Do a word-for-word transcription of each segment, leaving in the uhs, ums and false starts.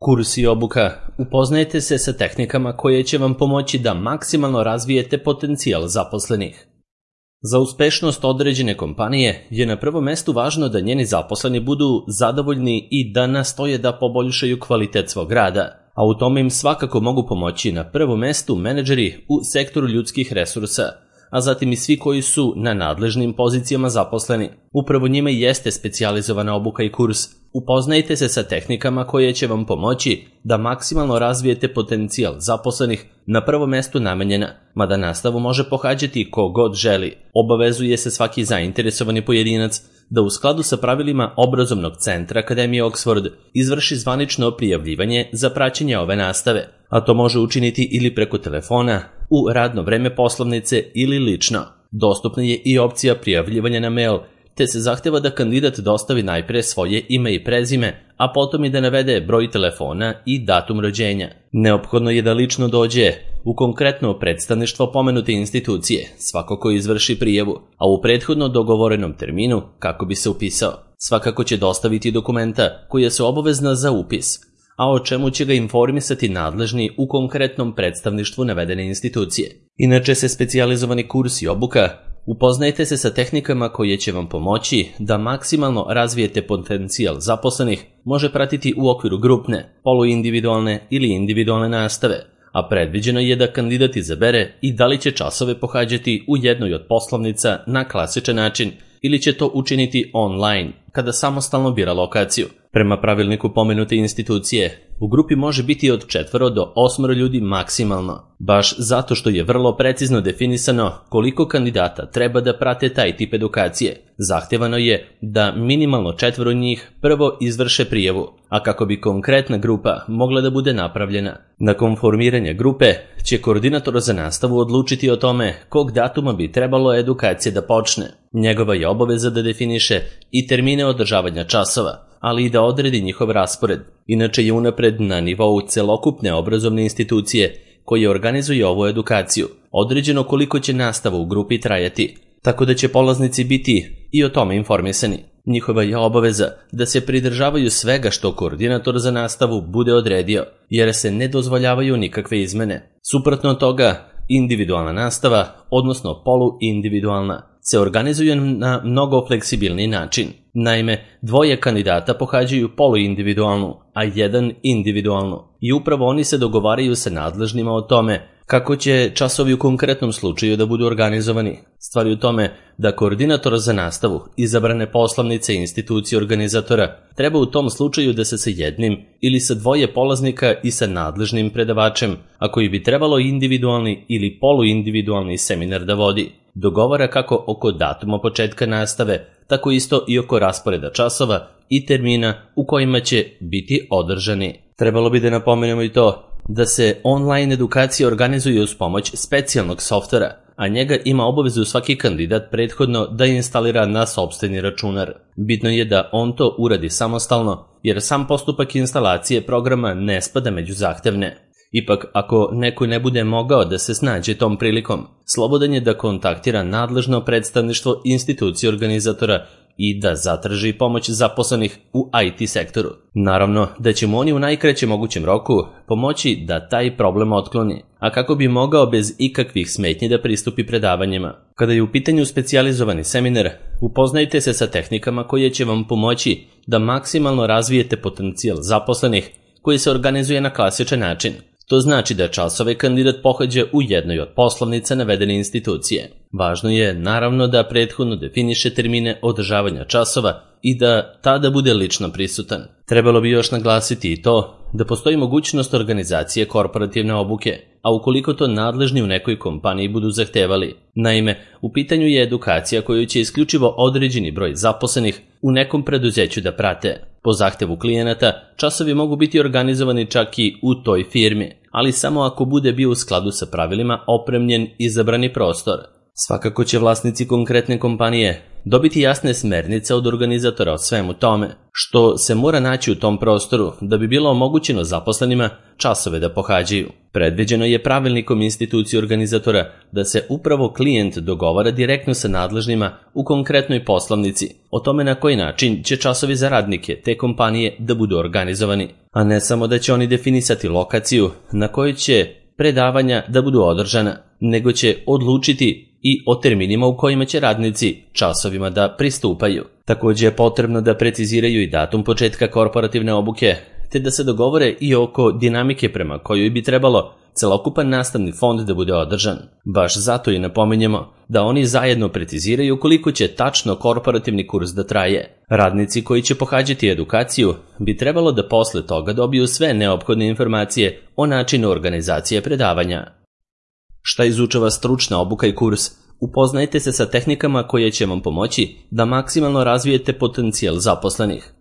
Kurs i obuka. Upoznajte se sa tehnikama koje će vam pomoći da maksimalno razvijete potencijal zaposlenih. Za uspešnost određene kompanije je na prvom mestu važno da njeni zaposleni budu zadovoljni i da nastoje da poboljšaju kvalitet svog rada, a u tome im svakako mogu pomoći na prvom mestu menadžeri u sektoru ljudskih resursa, a zatim i svi koji su na nadležnim pozicijama zaposleni. Upravo njima i jeste specijalizovana obuka i kurs. Upoznajte se sa tehnikama koje će vam pomoći da maksimalno razvijete potencijal zaposlenih, na prvom mestu namenjena, mada nastavu može pohađati ko god želi. Obavezuje se svaki zainteresovani pojedinac da u skladu sa pravilima obrazovnog centra Akademije Oxford izvrši zvanično prijavljivanje za praćenje ove nastave, a to može učiniti ili preko telefona, u radno vreme poslovnice ili lično. Dostupna je i opcija prijavljivanja na mail, te se zahteva da kandidat dostavi najpre svoje ime i prezime, a potom i da navede broj telefona i datum rođenja. Neophodno je da lično dođe u konkretno predstavništvo pomenute institucije, svako ko izvrši prijavu, a u prethodno dogovorenom terminu kako bi se upisao. Svakako će dostaviti dokumenta koja su obavezna za upis, a o čemu će ga informisati nadležni u konkretnom predstavništvu navedene institucije. Inače se specijalizovani kurs i obuka. Upoznajte se sa tehnikama koje će vam pomoći da maksimalno razvijete potencijal zaposlenih, može pratiti u okviru grupne, poluindividualne ili individualne nastave, a predviđeno je da kandidat izabere i da li će časove pohađati u jednoj od poslovnica na klasičan način ili će to učiniti online, kada samostalno bira lokaciju. Prema pravilniku pomenute institucije, u grupi može biti od četvoro do osmoro ljudi maksimalno, baš zato što je vrlo precizno definisano koliko kandidata treba da prate taj tip edukacije. Zahtevano je da minimalno četvoro njih prvo izvrše prijavu, a kako bi konkretna grupa mogla da bude napravljena. Nakon formiranja grupe će koordinator za nastavu odlučiti o tome kog datuma bi trebalo edukacija da počne. Njegova je obaveza da definiše i termine održavanja časova, ali i da odredi njihov raspored. Inače je unapred na nivou celokupne obrazovne institucije koje organizuje ovu edukaciju određeno koliko će nastava u grupi trajati, tako da će polaznici biti i o tome informisani. Njihova je obaveza da se pridržavaju svega što koordinator za nastavu bude odredio, jer se ne dozvoljavaju nikakve izmene. Suprotno toga, individualna nastava, odnosno poluindividualna, se organizuje na mnogo fleksibilniji način. Naime, dvoje kandidata pohađaju poluindividualnu, a jedan individualnu, i upravo oni se dogovaraju sa nadležnima o tome kako će časovi u konkretnom slučaju da budu organizovani. Stvar je u tome da koordinator za nastavu izabrane poslovnice i institucije organizatora treba u tom slučaju da se sa jednim ili sa dvoje polaznika i sa nadležnim predavačem, a koji bi trebalo individualni ili poluindividualni seminar da vodi, dogovara kako oko datuma početka nastave, tako isto i oko rasporeda časova i termina u kojima će biti održani. Trebalo bi da napomenemo i to da se online edukacija organizuje uz pomoć specijalnog softvera, a njega ima obavezu svaki kandidat prethodno da instalira na sopstveni računar. Bitno je da on to uradi samostalno, jer sam postupak instalacije programa ne spada među zahtevne. Ipak, ako neko ne bude mogao da se snađe tom prilikom, slobodan je da kontaktira nadležno predstavništvo institucije organizatora i da zatraži pomoć zaposlenih u I T sektoru. Naravno da će mu oni u najkraćem mogućem roku pomoći da taj problem otkloni, a kako bi mogao bez ikakvih smetnji da pristupi predavanjima. Kada je u pitanju specijalizovani seminar, upoznajte se sa tehnikama koje će vam pomoći da maksimalno razvijete potencijal zaposlenih koji se organizuje na klasičan način. To znači da časove kandidat pohađa u jednoj od poslovnica navedene institucije. Važno je, naravno, da prethodno definiše termine održavanja časova i da tada bude lično prisutan. Trebalo bi još naglasiti i to da postoji mogućnost organizacije korporativne obuke, a ukoliko to nadležni u nekoj kompaniji budu zahtevali. Naime, u pitanju je edukacija koju će isključivo određeni broj zaposlenih u nekom preduzeću da prate. Po zahtevu klijenata, časovi mogu biti organizovani čak i u toj firmi, ali samo ako bude bio u skladu sa pravilima opremljen izabrani prostor. Svakako će vlasnici konkretne kompanije dobiti jasne smernice od organizatora o svemu tome, što se mora naći u tom prostoru da bi bilo omogućeno zaposlenima časove da pohađaju. Predviđeno je pravilnikom institucije organizatora da se upravo klijent dogovara direktno sa nadležnima u konkretnoj poslovnici o tome na koji način će časovi za radnike te kompanije da budu organizovani, a ne samo da će oni definisati lokaciju na kojoj će predavanja da budu održana, nego će odlučiti i o terminima u kojima će radnici časovima da pristupaju. Također je potrebno da preciziraju i datum početka korporativne obuke, te da se dogovore i oko dinamike prema kojoj bi trebalo celokupan nastavni fond da bude održan. Baš zato i napominjemo da oni zajedno preciziraju koliko će tačno korporativni kurs da traje. Radnici koji će pohađati edukaciju bi trebalo da posle toga dobiju sve neophodne informacije o načinu organizacije predavanja. Šta izučava stručna obuka i kurs? Upoznajte se sa tehnikama koje će vam pomoći da maksimalno razvijete potencijal zaposlenih.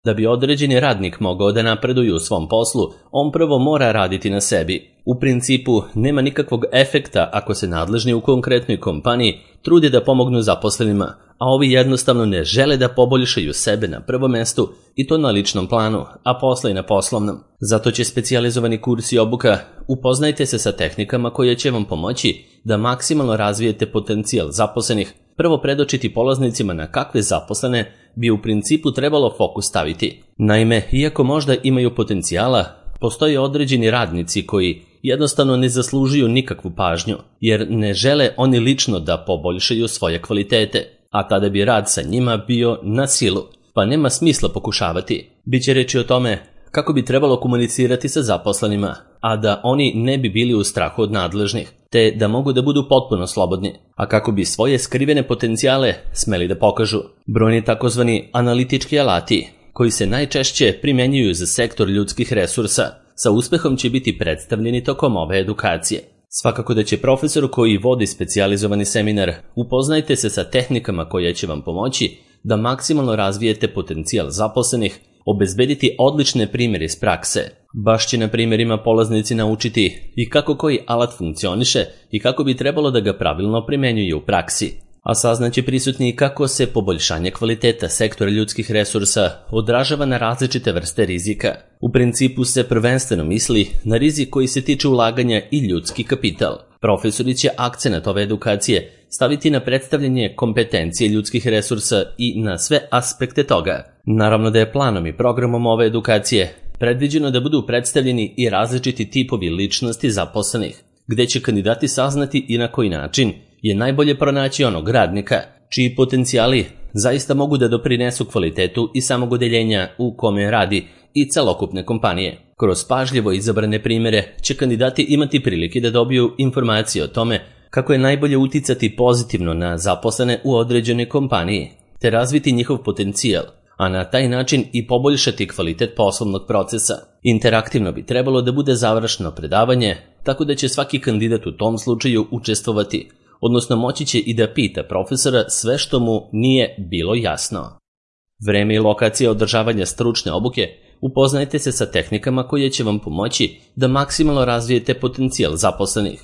Da bi određeni radnik mogao da napreduje u svom poslu, on prvo mora raditi na sebi. U principu, nema nikakvog efekta ako se nadležni u konkretnoj kompaniji trude da pomognu zaposlenima, a ovi jednostavno ne žele da poboljšaju sebe na prvom mestu i to na ličnom planu, a posle i na poslovnom. Zato će specijalizovani kurs i obuka upoznajte se sa tehnikama koje će vam pomoći da maksimalno razvijete potencijal zaposlenih, prvo predočiti polaznicima na kakve zaposlene bi u principu trebalo fokus staviti. Naime, iako možda imaju potencijala, postoje određeni radnici koji jednostavno ne zaslužuju nikakvu pažnju, jer ne žele oni lično da poboljšaju svoje kvalitete, a tada bi rad sa njima bio na silu, pa nema smisla pokušavati. Biće reći o tome kako bi trebalo komunicirati sa zaposlenima, a da oni ne bi bili u strahu od nadležnih, te da mogu da budu potpuno slobodni, a kako bi svoje skrivene potencijale smeli da pokažu. Brojni takozvani analitički alati, koji se najčešće primenjuju za sektor ljudskih resursa, sa uspehom će biti predstavljeni tokom ove edukacije. Svakako da će profesor koji vodi specijalizovani seminar upoznajte se sa tehnikama koje će vam pomoći da maksimalno razvijete potencijal zaposlenih, obezbediti odlične primjere iz prakse. Baš će na primjerima polaznici naučiti i kako koji alat funkcioniše i kako bi trebalo da ga pravilno primenjuje u praksi. A saznaće prisutni kako se poboljšanje kvaliteta sektora ljudskih resursa odražava na različite vrste rizika. U principu se prvenstveno misli na rizik koji se tiče ulaganja i ljudski kapital. Profesori će akcenat ove edukacije staviti na predstavljanje kompetencije ljudskih resursa i na sve aspekte toga. Naravno da je planom i programom ove edukacije predviđeno da budu predstavljeni i različiti tipovi ličnosti zaposlenih, gde će kandidati saznati i na koji način je najbolje pronaći onog radnika čiji potencijali zaista mogu da doprinesu kvalitetu i samog odeljenja u kome radi i celokupne kompanije. Kroz pažljivo izabrane primjere će kandidati imati prilike da dobiju informacije o tome kako je najbolje uticati pozitivno na zaposlene u određenoj kompaniji, te razviti njihov potencijal, a na taj način i poboljšati kvalitet poslovnog procesa. Interaktivno bi trebalo da bude završno predavanje, tako da će svaki kandidat u tom slučaju učestvovati, odnosno moći će i da pita profesora sve što mu nije bilo jasno. Vreme i lokacija održavanja stručne obuke upoznajte se sa tehnikama koje će vam pomoći da maksimalno razvijete potencijal zaposlenih.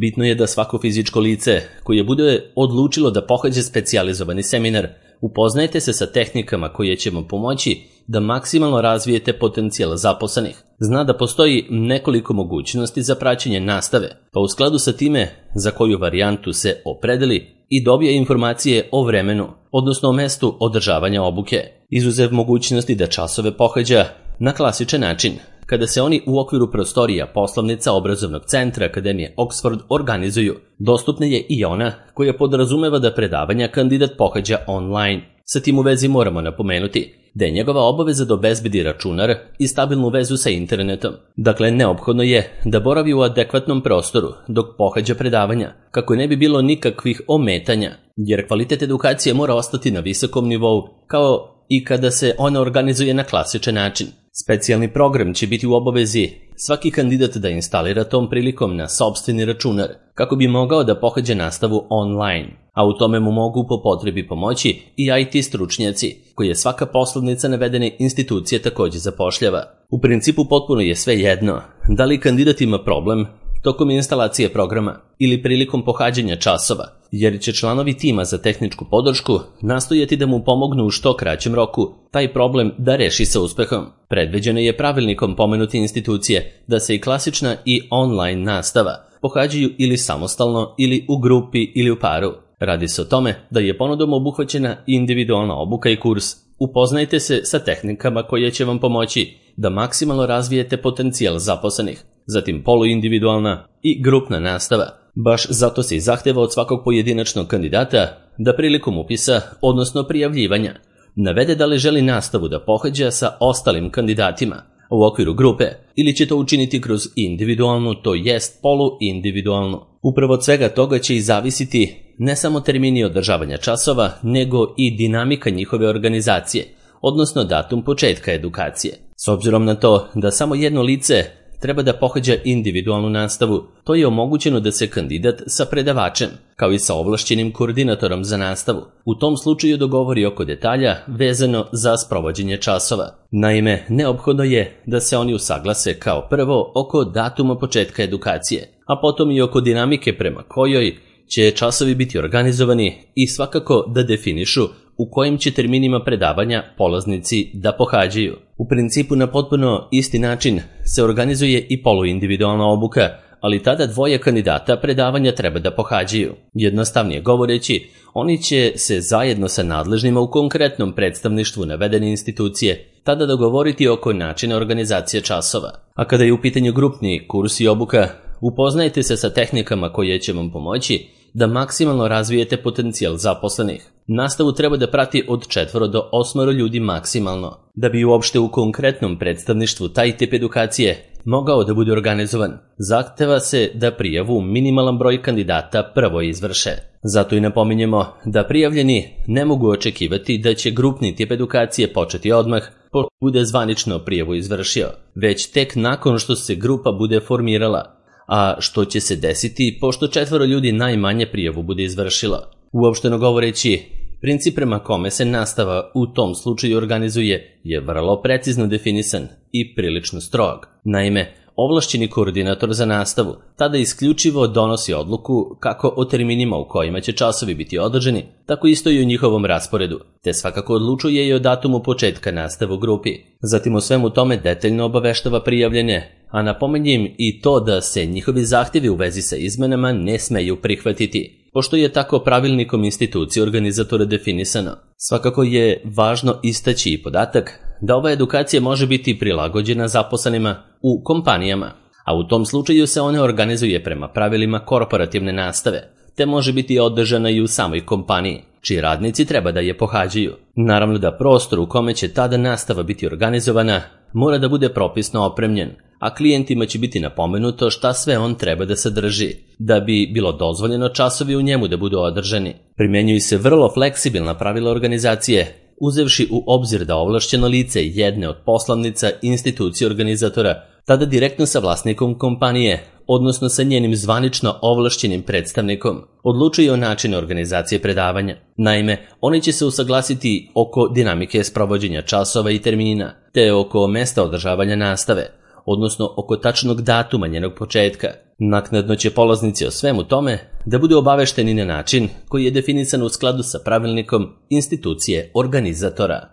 Bitno je da svako fizičko lice koje bude odlučilo da pohađa specijalizovani seminar, upoznajte se sa tehnikama koje će vam pomoći da maksimalno razvijete potencijal zaposlenih. Zna da postoji nekoliko mogućnosti za praćenje nastave, pa u skladu sa time za koju varijantu se opredeli i dobije informacije o vremenu, odnosno o mestu održavanja obuke. Izuzev mogućnosti da časove pohađa na klasičan način, kada se oni u okviru prostorija poslovnica obrazovnog centra Akademije Oxford organizuju, dostupna je i ona koja podrazumeva da predavanja kandidat pohađa online. Sa tim u vezi moramo napomenuti da je njegova obaveza da obezbedi računar i stabilnu vezu sa internetom. Dakle, neophodno je da boravi u adekvatnom prostoru dok pohađa predavanja, kako ne bi bilo nikakvih ometanja, jer kvalitet edukacije mora ostati na visokom nivou, kao i kada se ona organizuje na klasičan način. Specijalni program će biti u obavezi svaki kandidat da instalira tom prilikom na sopstveni računar, kako bi mogao da pohađa nastavu online, a u tome mu mogu po potrebi pomoći i I T stručnjaci, koje svaka poslovnica navedene institucije također zapošljava. U principu potpuno je sve jedno da li kandidat ima problem tokom instalacije programa ili prilikom pohađanja časova, jer će članovi tima za tehničku podršku nastojati da mu pomognu u što kraćem roku taj problem da reši sa uspehom. Predviđeno je pravilnikom pomenute institucije da se i klasična i online nastava pohađaju ili samostalno ili u grupi ili u paru. Radi se o tome da je ponudom obuhvaćena individualna obuka i kurs. Upoznajte se sa tehnikama koje će vam pomoći da maksimalno razvijete potencijal zaposlenih, zatim poluindividualna i grupna nastava. Baš zato se i zahteva od svakog pojedinačnog kandidata da prilikom upisa, odnosno prijavljivanja, navede da li želi nastavu da pohađa sa ostalim kandidatima u okviru grupe ili će to učiniti kroz individualnu, to jest poluindividualnu. Upravo od svega toga će i zavisiti ne samo termini održavanja časova, nego i dinamika njihove organizacije, odnosno datum početka edukacije. S obzirom na to da samo jedno lice treba da pohađa individualnu nastavu, to je omogućeno da se kandidat sa predavačem, kao i sa ovlašćenim koordinatorom za nastavu, u tom slučaju dogovori oko detalja vezano za sprovođenje časova. Naime, neophodno je da se oni usaglase kao prvo oko datuma početka edukacije, a potom i oko dinamike prema kojoj će časovi biti organizovani i svakako da definišu u kojim će terminima predavanja polaznici da pohađaju. U principu na potpuno isti način se organizuje i poluindividualna obuka, ali tada dvoje kandidata predavanja treba da pohađaju. Jednostavnije govoreći, oni će se zajedno sa nadležnima u konkretnom predstavništvu navedene institucije tada dogovoriti oko načina organizacije časova. A kada je u pitanju grupni kurs i obuka, upoznajte se sa tehnikama koje će vam pomoći da maksimalno razvijete potencijal zaposlenih. Nastavu treba da prati od četvoro do osmoro ljudi maksimalno, da bi uopšte u konkretnom predstavništvu taj tip edukacije mogao da bude organizovan. Zahteva se da prijavu minimalan broj kandidata prvo izvrše. Zato i napominjemo da prijavljeni ne mogu očekivati da će grupni tip edukacije početi odmah pošto bude zvanično prijavu izvršio, već tek nakon što se grupa bude formirala, a što će se desiti pošto četvoro ljudi najmanje prijavu bude izvršilo. Uopšteno govoreći, princip prema kome se nastava u tom slučaju organizuje je vrlo precizno definisan i prilično strog. Naime, ovlašćeni koordinator za nastavu tada isključivo donosi odluku kako o terminima u kojima će časovi biti održani, tako isto i o njihovom rasporedu, te svakako odlučuje i o datumu početka nastave u grupi. Zatim o svemu tome detaljno obaveštava prijavljene, a napominjem i to da se njihovi zahtjevi u vezi sa izmenama ne smeju prihvatiti, pošto je tako pravilnikom institucije organizatora definisano. Svakako je važno istaći i podatak da ova edukacija može biti prilagođena zaposlenima u kompanijama, a u tom slučaju se ona organizuje prema pravilima korporativne nastave, te može biti održana i u samoj kompaniji, čiji radnici treba da je pohađaju. Naravno da prostor u kome će tada nastava biti organizovana mora da bude propisno opremljen, a klijentima će biti napomenuto šta sve on treba da sadrži, da bi bilo dozvoljeno časovi u njemu da budu održani. Primjenjuju se vrlo fleksibilna pravila organizacije, uzevši u obzir da ovlašćeno lice jedne od poslovnica institucije organizatora tada direktno sa vlasnikom kompanije, odnosno sa njenim zvanično ovlašćenim predstavnikom, odlučuje o načinu organizacije predavanja. Naime, oni će se usaglasiti oko dinamike sprovođenja časova i termina, te oko mesta održavanja nastave, odnosno oko tačnog datuma njenog početka. Naknadno će polaznici o svemu tome da budu obavešteni na način koji je definisan u skladu sa pravilnikom institucije organizatora.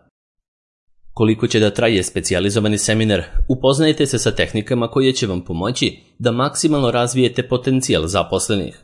Koliko će da traje specijalizovani seminar, upoznajte se sa tehnikama koje će vam pomoći da maksimalno razvijete potencijal zaposlenih.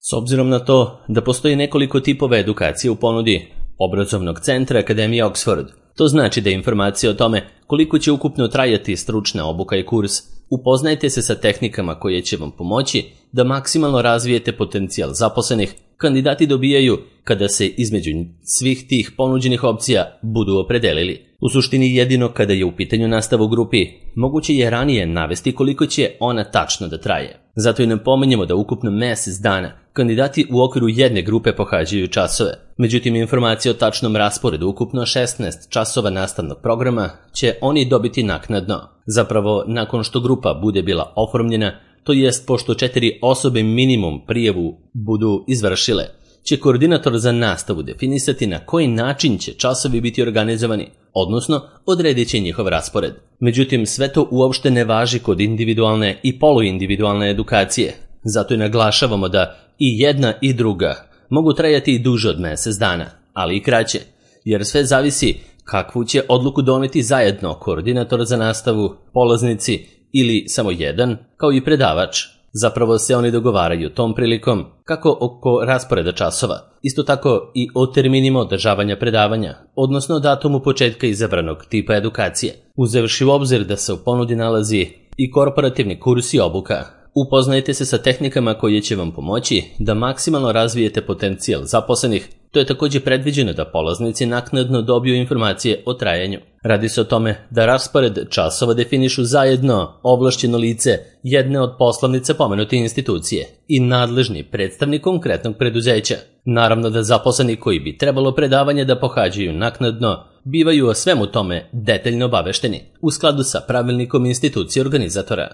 S obzirom na to da postoji nekoliko tipova edukacije u ponudi obrazovnog centra Akademije Oxford, to znači da informacije o tome koliko će ukupno trajati stručna obuka i kurs, upoznajte se sa tehnikama koje će vam pomoći da maksimalno razvijete potencijal zaposlenih, kandidati dobijaju kada se između svih tih ponuđenih opcija budu opredelili. U suštini jedino kada je u pitanju nastava u grupi, moguće je ranije navesti koliko će ona tačno da traje. Zato i napominjemo da ukupno mesec dana kandidati u okviru jedne grupe pohađaju časove. Međutim, informacije o tačnom rasporedu ukupno šesnaest časova nastavnog programa će oni dobiti naknadno. Zapravo, nakon što grupa bude bila oformljena, to jest pošto četiri osobe minimum prijavu budu izvršile, će koordinator za nastavu definisati na koji način će časovi biti organizovani, odnosno odredit će njihov raspored. Međutim, sve to uopšte ne važi kod individualne i poluindividualne edukacije. Zato i naglašavamo da I jedna i druga mogu trajati i duže od mjesec dana, ali i kraće, jer sve zavisi kakvu će odluku doneti zajedno koordinator za nastavu, polaznici ili samo jedan, kao i predavač. Zapravo se oni dogovaraju tom prilikom kako oko rasporeda časova, isto tako i o terminima održavanja predavanja, odnosno datumu početka izabranog tipa edukacije, uzevši u obzir da se u ponudi nalazi i korporativni kurs i obuka. Upoznajte se sa tehnikama koje će vam pomoći da maksimalno razvijete potencijal zaposlenih. To je također predviđeno da polaznici naknadno dobiju informacije o trajanju. Radi se o tome da raspored časova definišu zajedno ovlašćeno lice jedne od poslovnica pomenute institucije i nadležni predstavnik konkretnog preduzeća. Naravno da zaposleni koji bi trebalo predavanje da pohađaju naknadno bivaju o svemu tome detaljno obavešteni u skladu sa pravilnikom institucije organizatora.